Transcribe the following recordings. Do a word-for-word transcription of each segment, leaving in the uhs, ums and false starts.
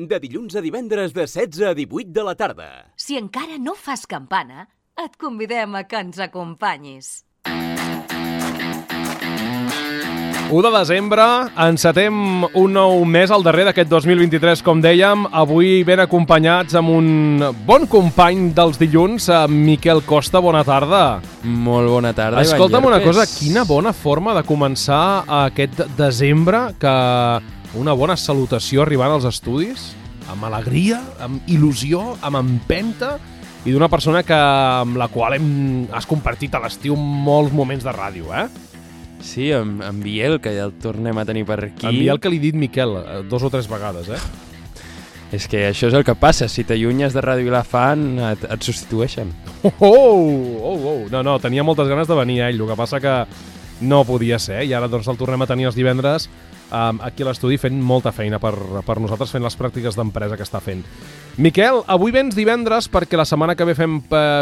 de dilluns a divendres de setze a divuit de la tarda. Si encara no fas campana, et convidem a que ens acompanyis. u de desembre, encetem un nou mes al darrer d'aquest dos mil vint-i-tres, com dèiem, avui ben acompanyats amb un bon company dels dilluns, Miquel Costa, bona tarda. Molt bona tarda, Ivan Escolta'm una Llerpes. cosa, quina bona forma de començar aquest desembre, que una bona salutació arribant als estudis, amb alegria, amb il·lusió, amb empenta, i d'una persona que, amb la qual hem, has compartit a l'estiu molts moments de ràdio, eh? Sí, en, en Biel, que ja el tornem a tenir per aquí. En Biel, que li he dit Miquel, dos o tres vegades, eh? És que això és el que passa, si t'allunyes de Ràdio Vilafant et, et substitueixen. Oh, oh, oh, oh, no, no, tenia moltes ganes de venir a ell, el que passa que no podia ser, i ara doncs el tornem a tenir els divendres um, aquí a l'estudi fent molta feina per, per nosaltres, fent les pràctiques d'empresa que està fent. Miquel, avui vens divendres perquè la setmana que ve fem,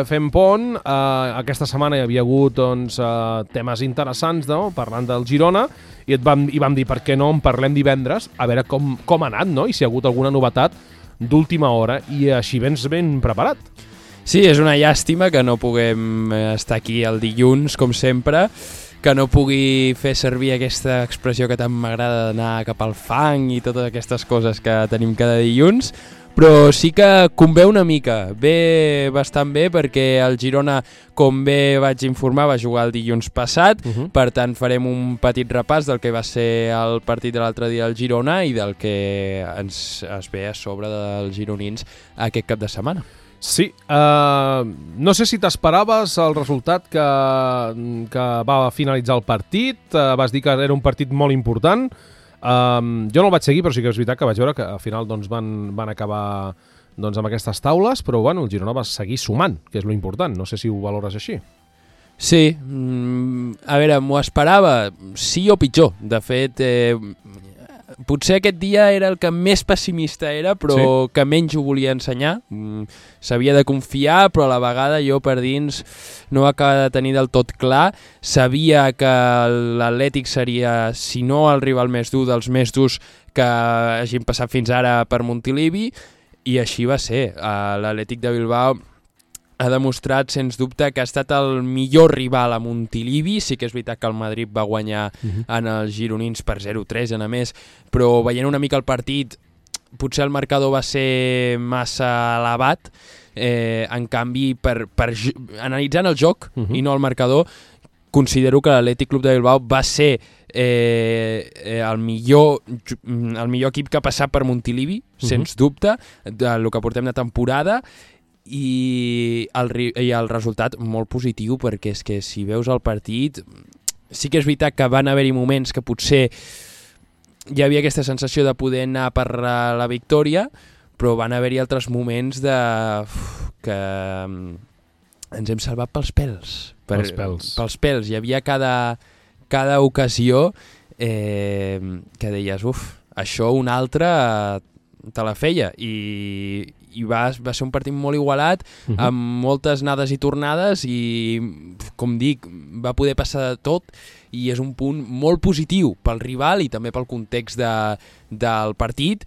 fem pont. Uh, aquesta setmana hi havia hagut doncs, uh, temes interessants, no? Parlant del Girona, i, et vam, i vam dir per què no en parlem divendres, a veure com, com ha anat, no? I si hi ha hagut alguna novetat d'última hora, i així vens ben preparat. Sí, és una llàstima que no puguem estar aquí el dilluns, com sempre, que no pugui fer servir aquesta expressió que tant m'agrada d'anar cap al fang i totes aquestes coses que tenim cada dilluns, però sí que convé una mica, ve bastant bé perquè el Girona, com bé vaig informar, va jugar el dilluns passat, uh-huh. Per tant farem un petit repàs del que va ser el partit de l'altre dia al Girona i del que ens es ve a sobre dels gironins aquest cap de setmana. Sí, uh, no sé si t'esperaves el resultat que, que va finalitzar el partit, uh, vas dir que era un partit molt important. Um, jo no el vaig seguir, però sí que és veritat que vaig veure que al final doncs, van, van acabar doncs, amb aquestes taules, però bueno, el Girona va seguir sumant, que és lo important. No sé si ho valores així. Sí, mm, a veure, m'ho esperava, sí o pitjor. De fet, eh, potser aquest dia era el que més pessimista era, però sí. Que menys ho volia ensenyar. Mm, s'havia de confiar, però a la vegada jo per dins no ho acaba de tenir del tot clar. Sabia que l'Atlètic seria, si no el rival més dur, dels més durs que hagin passat fins ara per Montilivi, i així va ser. L'Atlètic de Bilbao ha demostrat, sens dubte, que ha estat el millor rival a Montilivi. Sí que és veritat que el Madrid va guanyar uh-huh. en els gironins per zero tres, a més, però veient una mica el partit, potser el marcador va ser massa elevat. Eh, en canvi, per, per, analitzant el joc uh-huh. i no el marcador, considero que l'Atlètic Club de Bilbao va ser eh, eh, el, millor, el millor equip que ha passat per Montilivi, uh-huh. sens dubte, del que portem de temporada, i el, i el resultat molt positiu, perquè és que si veus el partit sí que és veritat que van haver-hi moments que potser hi havia aquesta sensació de poder anar per la victòria, però van haver-hi altres moments de uf, que ens hem salvat pels pèls per, pels pèls pels pèls, hi havia cada, cada ocasió eh, que deies uf, això un altre te la feia, i, i va, va ser un partit molt igualat, uh-huh. amb moltes anades i tornades, i com dic, va poder passar de tot, i és un punt molt positiu pel rival i també pel context de, del partit.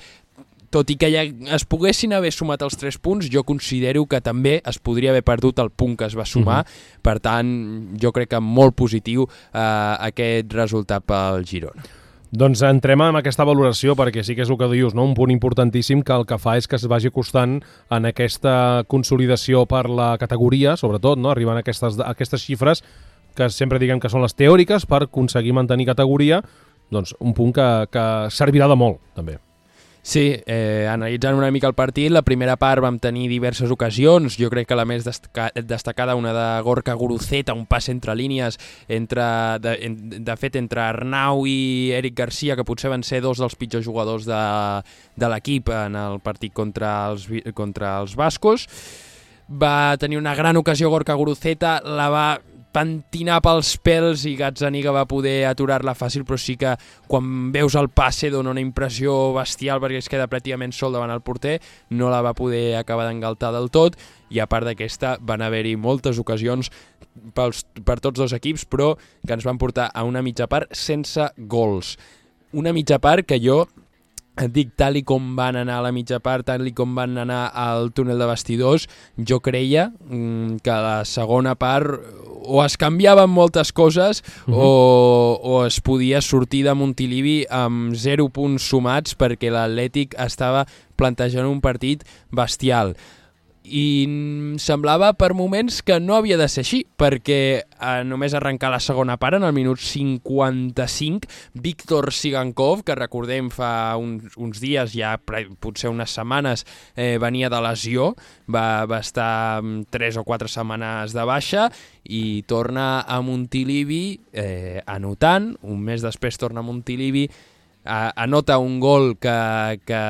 Tot i que ja es poguessin haver sumat els tres punts, jo considero que també es podria haver perdut el punt que es va sumar, uh-huh. Per tant jo crec que molt positiu eh, aquest resultat pel Girona. Doncs entrem en aquesta valoració, perquè sí que és el que dius, no? Un punt importantíssim que el que fa és que es vagi acostant en aquesta consolidació per la categoria, sobretot, no? Arribant a aquestes, a aquestes xifres que sempre diguem que són les teòriques per aconseguir mantenir categoria, doncs un punt que, que servirà de molt, també. Sí, eh, analitzant una mica el partit, la primera part vam tenir diverses ocasions, jo crec que la més destaca, destacada, una de Gorka Guruceta, un pas entre línies, entre, de, de fet entre Arnau i Eric Garcia, que potser van ser dos dels pitjors jugadors de, de l'equip en el partit contra els, contra els bascos. Va tenir una gran ocasió Gorka Guruceta, la va pentinar pels pèls i Gazzaniga va poder aturar-la fàcil, però sí que quan veus el passe dona una impressió bestial perquè es queda pràcticament sol davant el porter, no la va poder acabar d'engaltar del tot, i a part d'aquesta van haver-hi moltes ocasions pels, per tots dos equips, però que ens van portar a una mitja part sense gols. Una mitja part que jo et dic, tal i com van anar a la mitja part, tal i com van anar al túnel de vestidors, jo creia mm, que a la segona part o es canviaven moltes coses uh-huh. o, o es podia sortir de Montilivi amb zero punts sumats perquè l'Atlètic estava plantejant un partit bestial. I semblava per moments que no havia de ser així, perquè eh, només arrencar la segona part, en el minut cinquanta-cinc, Víctor Sigankov, que recordem fa uns, uns dies, ja potser unes setmanes, eh, venia de lesió, va, va estar tres o quatre setmanes de baixa i torna a Montilivi eh, anotant, un mes després torna a Montilivi, anota un gol que, que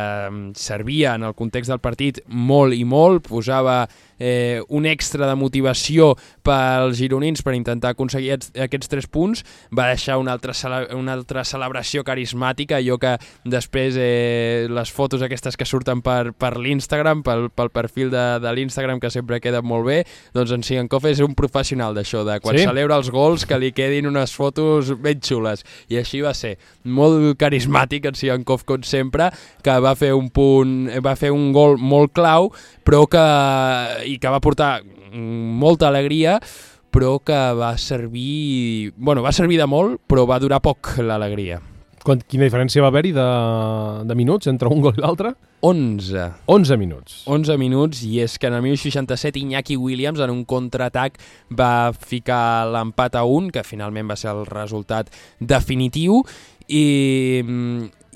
servia en el context del partit molt i molt, posava eh, un extra de motivació pels gironins per intentar aconseguir aquests tres punts, va deixar una altra, cele una altra celebració carismàtica, allò que després eh, les fotos aquestes que surten per, per l'Instagram, pel, pel perfil de, de l'Instagram, que sempre queda molt bé, doncs en Sigankov és un professional d'això, de quan sí? celebra els gols que li quedin unes fotos ben xules, i així va ser, molt carismàtic en Sigankov com sempre, que va fer un punt, va fer un gol molt clau, però que i que va portar molta alegria, però que va servir, bueno, va servir de molt, però va durar poc l'alegria. Quina diferència va haver-hi de, de minuts entre un gol i l'altre? onze. onze minuts. onze minuts, i és que en el minut seixanta-set Iñaki Williams en un contraatac va ficar l'empat a un, que finalment va ser el resultat definitiu, i,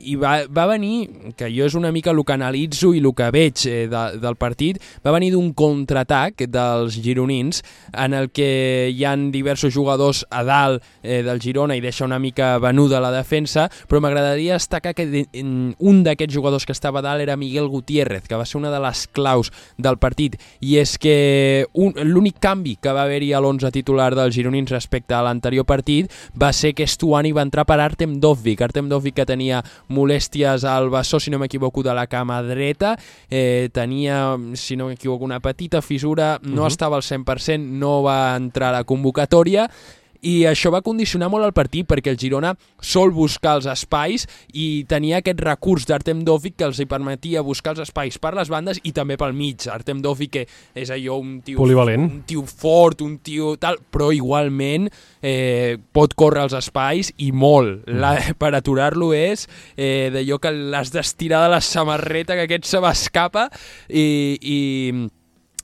i va, va venir, que jo és una mica el que analitzo i el que veig eh, de, del partit, va venir d'un contraatac dels gironins en el que hi han diversos jugadors a dalt eh, del Girona i deixa una mica venuda la defensa, però m'agradaria destacar que de, un d'aquests jugadors que estava a dalt era Miguel Gutiérrez, que va ser una de les claus del partit, i és que l'únic canvi que va haver-hi a l'onze titular dels gironins respecte a l'anterior partit va ser que Stuani va entrar per Artem Dovvik, Artem Dovvik que tenia molèsties al bessó, si no m'equivoco, de la cama dreta, eh, tenia, si no m'equivoco, una petita fissura, no uh-huh. estava al cent per cent, no va entrar a la convocatòria, i això va condicionar molt el partit perquè el Girona sol buscar els espais i tenia aquest recurs d'Artem Dovvik que els hi permetia buscar els espais per les bandes i també pel mig. Artem Dovvik, que és allò un tio, polivalent, un tio fort, un tio tal, però igualment eh, pot córrer els espais i molt. La, per aturar-lo és eh, d'allò que l'has d'estirar de la samarreta, que aquest se m'escapa, i... i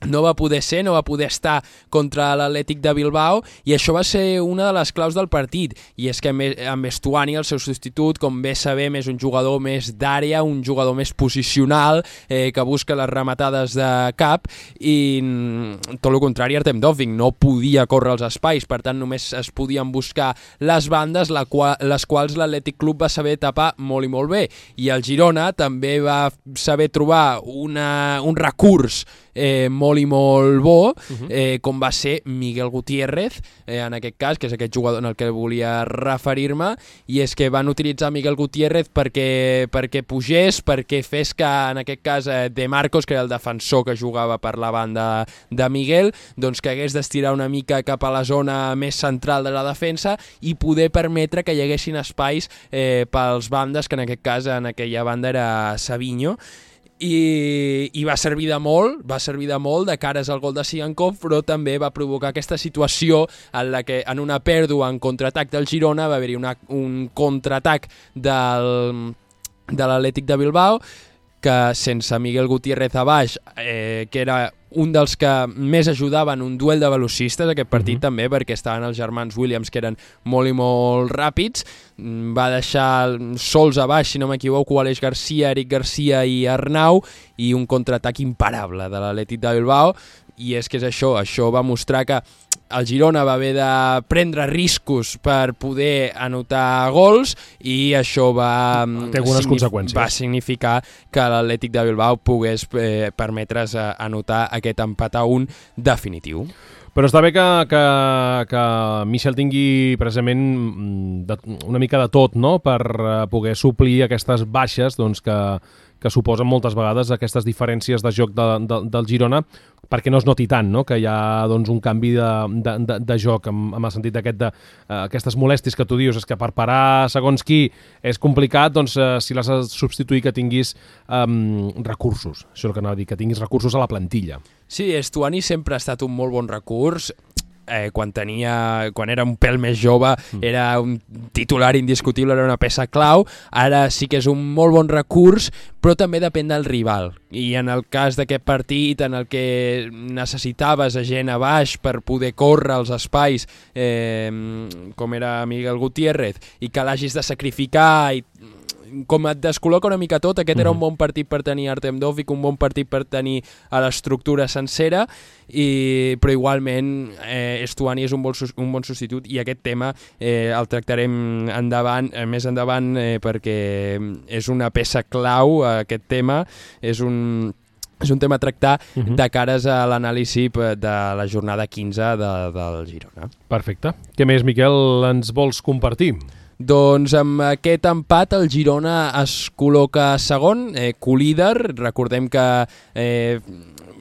no va poder ser, no va poder estar contra l'Atlètic de Bilbao, i això va ser una de les claus del partit, i és que amb Stuani, el seu substitut, com bé sabem, és un jugador més d'àrea, un jugador més posicional, eh, que busca les rematades de cap, i tot el contrari, Artem Dovvik no podia córrer els espais, per tant només es podien buscar les bandes, la qual, les quals l'Atlètic Club va saber tapar molt i molt bé, i el Girona també va saber trobar una, un recurs eh, molt i molt bo, eh, com va ser Miguel Gutiérrez, eh, en aquest cas, que és aquest jugador en el que volia referir-me, i és que van utilitzar Miguel Gutiérrez perquè, perquè pugés, perquè fes que, en aquest cas, eh, De Marcos, que era el defensor que jugava per la banda de Miguel, doncs que hagués d'estirar una mica cap a la zona més central de la defensa i poder permetre que hi haguessin espais eh, pels bandes, que en aquest cas, en aquella banda era Savinho, I, i va servir de molt, va servir de molt de cares al gol de Sigankov, però també va provocar aquesta situació en la que en una pèrdua en contraatac del Girona va haver-hi una, un contraatac del, de l'Atlètic de Bilbao, que sense Miguel Gutiérrez a baix, eh, que era un dels que més ajudaven un duel de velocistes, aquest partit uh-huh. també, perquè estaven els germans Williams, que eren molt i molt ràpids, va deixar sols a baix, si no m'equivoco, Aleix Garcia, Eric Garcia i Arnau, i un contraatac imparable de l'Atlètic de Bilbao, i és que és això, això va mostrar que el Girona va haver de prendre riscos per poder anotar gols, i això va, signif va significar que l'Atlètic de Bilbao pogués eh, permetre's anotar aquest empat a un definitiu. Però està bé que, que, que Michel tingui precisament de, una mica de tot, no?, per poder suplir aquestes baixes doncs, que, que suposen moltes vegades aquestes diferències de joc de, de, del Girona, perquè no es noti tant, no? Que hi ha doncs, un canvi de, de, de, de joc, amb, amb el sentit d'aquest de, uh, aquestes molèsties que tu dius, és que per parar segons qui és complicat, doncs uh, si l'has de substituir que tinguis um, recursos, això és el que anava a dir, que tinguis recursos a la plantilla. Sí, Estuani sempre ha estat un molt bon recurs. Eh, quan tenia, quan era un pèl més jove mm. era un titular indiscutible, era una peça clau. Ara sí que és un molt bon recurs, però també depèn del rival, i en el cas d'aquest partit en el que necessitaves a gent a baix per poder córrer els espais, eh, com era Miguel Gutiérrez, i que l'hagis de sacrificar i com et descol·loca una mica tot, aquest era un bon partit per tenir Artem Dovbyk, un bon partit per tenir a l'estructura sencera, i, però igualment eh, Estuani és un bon, un bon substitut, i aquest tema eh, el tractarem endavant, eh, més endavant eh, perquè és una peça clau, eh, aquest tema, és un... és un tema a tractar uh-huh. de cares a l'anàlisi de la jornada quinze de, del Girona. Perfecte. Què més, Miquel, ens vols compartir? Doncs amb aquest empat el Girona es col·loca segon, eh, colíder. Recordem que eh,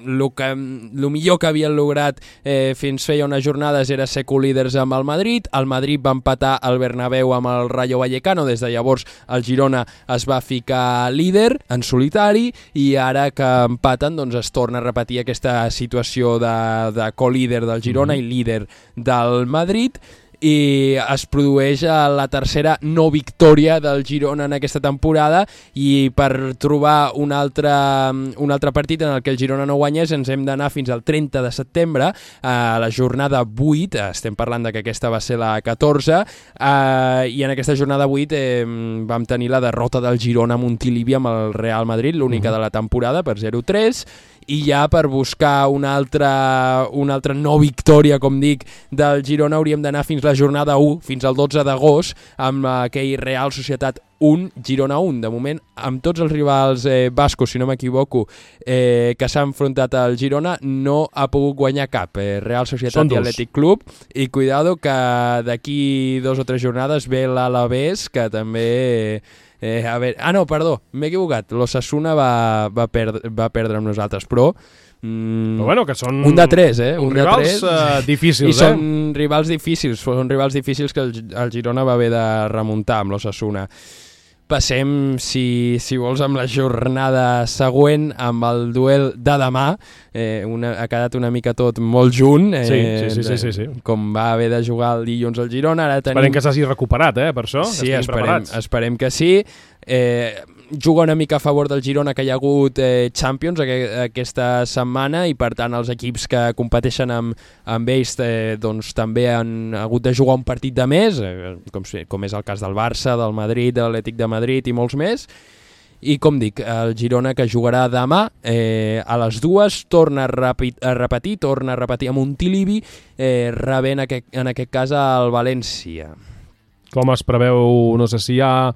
el que, el millor que havien lograt eh, fins feia unes jornades era ser colíders amb el Madrid. El Madrid va empatar al Bernabéu amb el Rayo Vallecano, des de llavors el Girona es va ficar líder en solitari, i ara que empaten doncs es torna a repetir aquesta situació de, de colíder del Girona mm-hmm. i líder del Madrid, i es produeix la tercera no victòria del Girona en aquesta temporada, i per trobar un altre, un altre partit en el que el Girona no guanyés ens hem d'anar fins al trenta de setembre, a la jornada vuit, estem parlant de que aquesta va ser la catorze, eh, i en aquesta jornada vuit eh, vam tenir la derrota del Girona a Montilivi amb el Real Madrid, l'única mm-hmm. de la temporada, per zero tres, i ja per buscar una altra, una altra no victòria, com dic, del Girona hauríem d'anar fins la jornada u, fins al dotze d'agost, amb aquell Real Societat un, Girona un. De moment, amb tots els rivals eh, bascos, si no m'equivoco, eh, que s'han enfrontat al Girona, no ha pogut guanyar cap. Eh, Real Societat i Atlètic Club, i cuidado que d'aquí dos o tres jornades ve l'Alavés, que també... Eh, Eh, a veure, ah no, perdó, m'he equivocat, l'Osasuna va, va, perdre, va perdre amb nosaltres, però, mm, però bueno, que són un de tres, eh? Un rivals de tres, uh, difícils, i eh? són rivals difícils, són rivals difícils que el, el Girona va haver de remuntar amb l'Osasuna. Passem, si, si vols, amb la jornada següent, amb el duel de demà. Eh, una, ha quedat una mica tot molt junt, eh, sí, sí, sí, sí, sí, sí. com va haver de jugar el dilluns al Girona. Ara tenim... Esperem que s'hagi recuperat, eh, per això. Sí, esperem, esperem que sí. Eh, juga una mica a favor del Girona, que hi ha hagut eh, Champions aqu aquesta setmana, i per tant els equips que competeixen amb, amb ells eh, doncs, també han hagut de jugar un partit de més, eh, com, com és el cas del Barça, del Madrid, de l'Atlètic de Madrid i molts més. I com dic, el Girona, que jugarà demà eh, a les dues, torna a, repi a repetir, torna a repetir a Montilivi, eh, rebent aquest, en aquest cas al València. Com es preveu, no sé si hi ha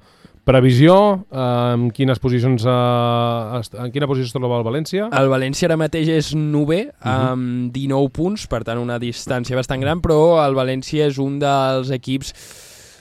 previsió, eh, en quines posicions eh, en quina posició es troba el València? El València ara mateix és novè, uh-huh. amb dinou punts, per tant una distància bastant gran, però el València és un dels equips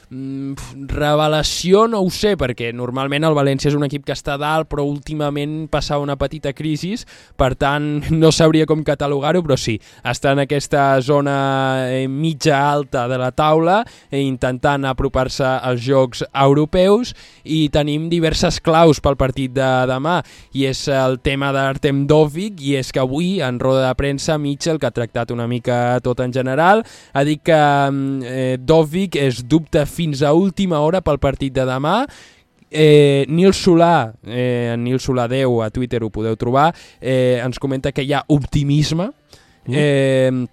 revelació, no ho sé, perquè normalment el València és un equip que està dalt, però últimament passava una petita crisi, per tant no sabria com catalogar-ho, però sí, està en aquesta zona eh, mitja alta de la taula, eh, intentant apropar-se als jocs europeus, i tenim diverses claus pel partit de demà, i és el tema d'Artem Dovbyk, i és que avui en roda de premsa Mitchell, que ha tractat una mica tot en general, ha dit que eh, Dovbyk és dubte fins a última hora pel partit de demà. Eh, Nil Solà, eh, Nil Solà deu a Twitter, ho podeu trobar, eh, ens comenta que hi ha optimisme. Mm. Eh,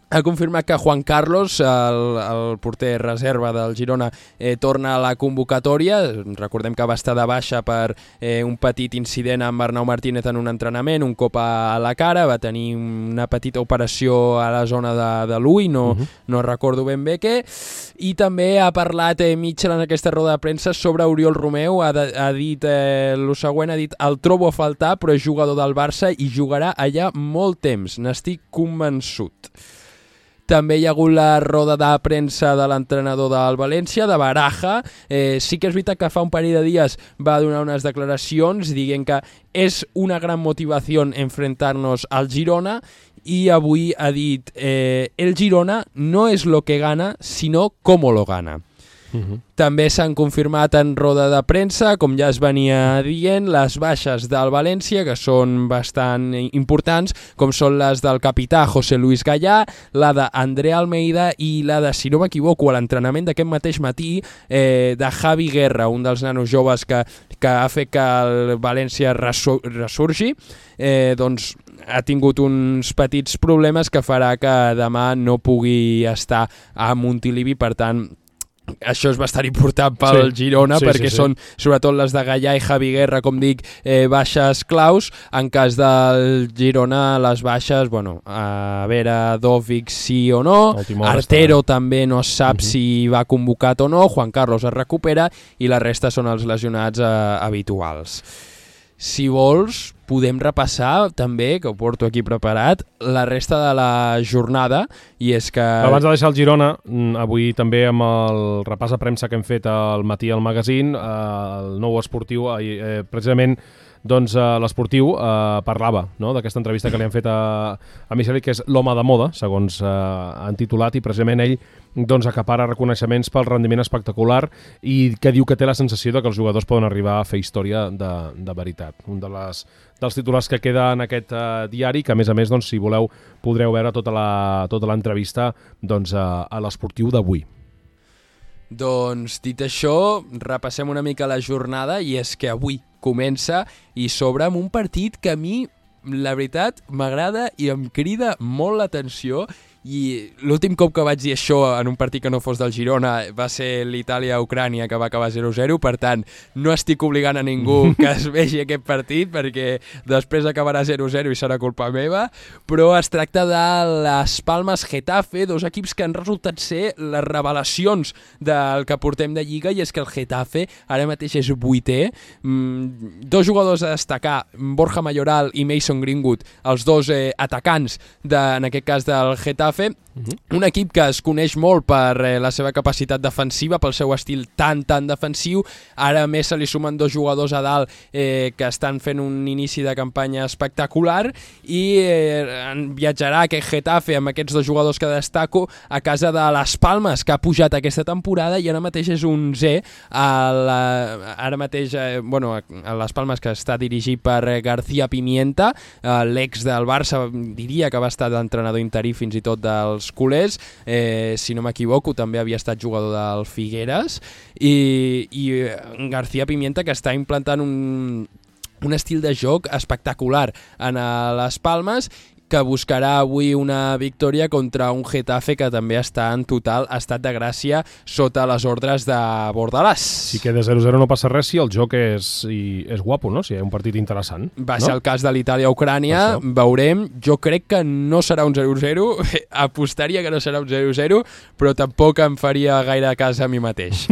ha confirmat que Juan Carlos, el, el porter reserva del Girona, eh, torna a la convocatòria. Recordem que va estar de baixa per eh, un petit incident amb Arnau Martínez en un entrenament, un cop a la cara, va tenir una petita operació a la zona de, de l'ull, no, uh-huh. no recordo ben bé què, i també ha parlat eh, Mitchell en aquesta roda de premsa sobre Oriol Romeu, ha, de, ha dit eh, el següent, ha dit: el trobo a faltar, però és jugador del Barça i jugarà allà molt temps, n'estic convençut. També hi ha hagut la roda de premsa de l'entrenador del València, de Baraja. Eh, sí que és veritat que fa un parell de dies va donar unes declaracions dient que és una gran motivació enfrentar-nos al Girona, i avui ha dit eh, el Girona no és lo que gana, sinó cómo lo gana. Uh-huh. També s'han confirmat en roda de premsa, com ja es venia dient, les baixes del València, que són bastant importants, com són les del capità José Luis Gallà, la d'André Almeida i la de, si no m'equivoco, a l'entrenament d'aquest mateix matí, eh, de Javi Guerra, un dels nanos joves que, que ha fet que el València resur ressurgi, eh, doncs ha tingut uns petits problemes que farà que demà no pugui estar a Montilivi, per tant això és bastant important pel sí, Girona, sí, perquè sí, sí. són sobretot les de Gallà i Javi Guerra, com dic, eh, baixes claus. En cas del Girona, les baixes, bueno, a veure, Dòvic sí o no, Artero està... també no es sap uh-huh. si va convocat o no, Juan Carlos es recupera i la resta són els lesionats eh, habituals. Si vols, podem repassar també, que ho porto aquí preparat, la resta de la jornada, i és que... Abans de deixar el Girona, avui també amb el repàs de premsa que hem fet al matí al magazín, el nou esportiu, eh, precisament doncs uh, l'esportiu uh, parlava, no?, d'aquesta entrevista que li han fet a, a Micheli, que és l'home de moda, segons uh, han titulat, i precisament ell doncs, acapara reconeixements pel rendiment espectacular i que diu que té la sensació de que els jugadors poden arribar a fer història de, de veritat. Un de les, dels titulars que queda en aquest uh, diari, que a més a més, doncs, si voleu, podreu veure tota la, tota l'entrevista doncs, a, a l'esportiu d'avui. Doncs, dit això, repassem una mica la jornada, i és que avui comença i s'obre amb un partit que a mi, la veritat, m'agrada i em crida molt l'atenció. I l'últim cop que vaig dir això en un partit que no fos del Girona va ser l'Itàlia-Ucrània, que va acabar zero zero, per tant no estic obligant a ningú que es vegi aquest partit perquè després acabarà zero zero i serà culpa meva, però es tracta de les Palmes-Getafe, dos equips que han resultat ser les revelacions del que portem de Lliga, i és que el Getafe ara mateix és vuitè, mm, dos jugadors a destacar, Borja Mayoral i Mason Greenwood, els dos eh, atacants de, en aquest cas del Getafe. Uh-huh. Un equip que es coneix molt per eh, la seva capacitat defensiva, pel seu estil tan, tan defensiu. Ara més se li sumen dos jugadors a dalt eh, que estan fent un inici de campanya espectacular, i eh, viatjarà aquest Getafe amb aquests dos jugadors que destaco a casa de les Palmes, que ha pujat aquesta temporada i ara mateix és onzè a la, ara mateix eh, bueno, a les Palmes, que està dirigit per eh, García Pimienta, eh, l'ex del Barça, diria que va estar d'entrenador interí fins i tot dels culers, eh, si no m'equivoco també havia estat jugador del Figueres, i, i García Pimienta, que està implantant un, un estil de joc espectacular en les Palmes, que buscarà avui una victòria contra un Getafe que també està en total estat de gràcia sota les ordres de Bordalàs. Si queda zero zero no passa res si el joc és, i, és guapo, no? Si hi ha un partit interessant. Va no? ser el cas de l'Itàlia-Ucrània, veurem. Jo crec que no serà un zero zero, apostaria que no serà un zero zero, però tampoc em faria gaire cas a mi mateix.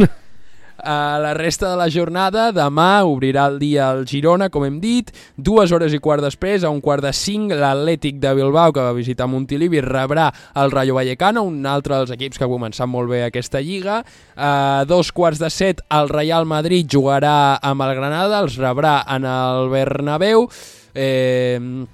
A la resta de la jornada, demà obrirà el dia el Girona, com hem dit, dues hores i quart després, a un quart de cinc, l'Atlètic de Bilbao, que va visitar Montilivi, rebrà el Rayo Vallecano, un altre dels equips que ha començat molt bé aquesta lliga. A dos quarts de set, el Real Madrid jugarà amb el Granada, els rebrà en el Bernabéu. Eh...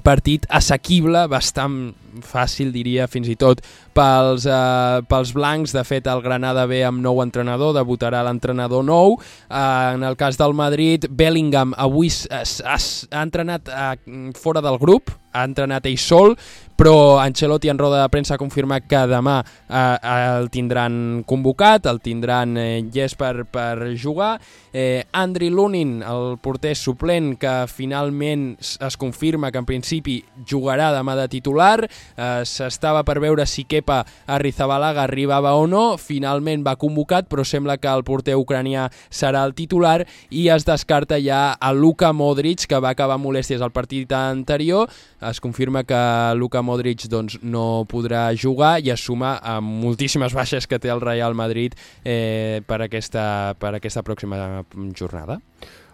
Partit assequible, bastant fàcil, diria, fins i tot pels, eh, pels blancs. De fet, el Granada ve amb nou entrenador, debutarà l'entrenador nou. Eh, en el cas del Madrid, Bellingham avui ha, ha, ha entrenat eh, fora del grup, ha entrenat ell sol, però Ancelotti en roda de premsa ha confirmat que demà eh, el tindran convocat, el tindran eh, llest per, per jugar. Eh, Andriy Lunin, el porter suplent, que finalment es confirma que en principi jugarà demà de titular. Eh, s'estava per veure si Kepa Arrizabalaga arribava o no, finalment va convocat, però sembla que el porter ucranià serà el titular, i es descarta ja a Luka Modric, que va acabar molèsties al partit anterior. Es confirma que Luka Modric doncs, no podrà jugar, i es suma a moltíssimes baixes que té el Real Madrid eh, per, aquesta, per aquesta pròxima jornada.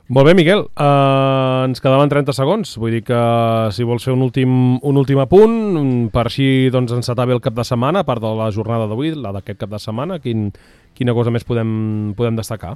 Molt bé, Miquel. Uh, ens quedaven trenta segons. Vull dir que si vols fer un últim, un últim apunt, per així doncs, encetar bé el cap de setmana, a part de la jornada d'avui, la d'aquest cap de setmana, quin, quina cosa més podem, podem destacar?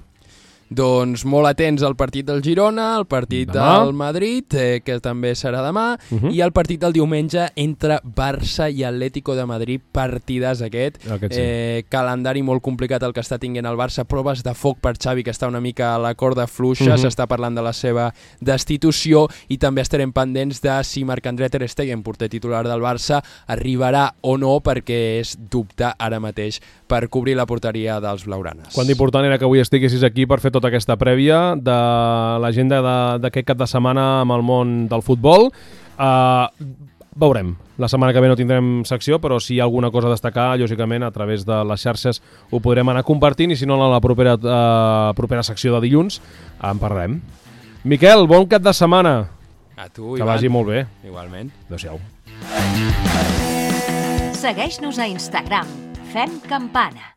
Doncs molt atents al partit del Girona, al partit demà. del Madrid, eh, que també serà demà, Uh-huh. i el partit del diumenge entre Barça i Atlético de Madrid, partidàs aquest. Aquest sí. eh, calendari molt complicat el que està tinguent el Barça, proves de foc per Xavi, que està una mica a la corda fluixa, Uh-huh. s'està parlant de la seva destitució, i també estarem pendents de si Marc-André ter Stegen, porter titular del Barça, arribarà o no, perquè és dubte ara mateix per cobrir la porteria dels blaugranes. Quant d'important era que avui estiguessis aquí per fer tota aquesta prèvia de l'agenda de- d'aquest cap de setmana amb el món del futbol. Uh, veurem. La setmana que ve no tindrem secció, però si hi ha alguna cosa a destacar, lògicament, a través de les xarxes ho podrem anar compartint, i si no, a la propera, uh, propera secció de dilluns en parlarem. Miquel, bon cap de setmana. A tu, Que Ivan. vagi molt bé. Igualment. Adéu-siau. Segueix-nos a Instagram. Fem campana.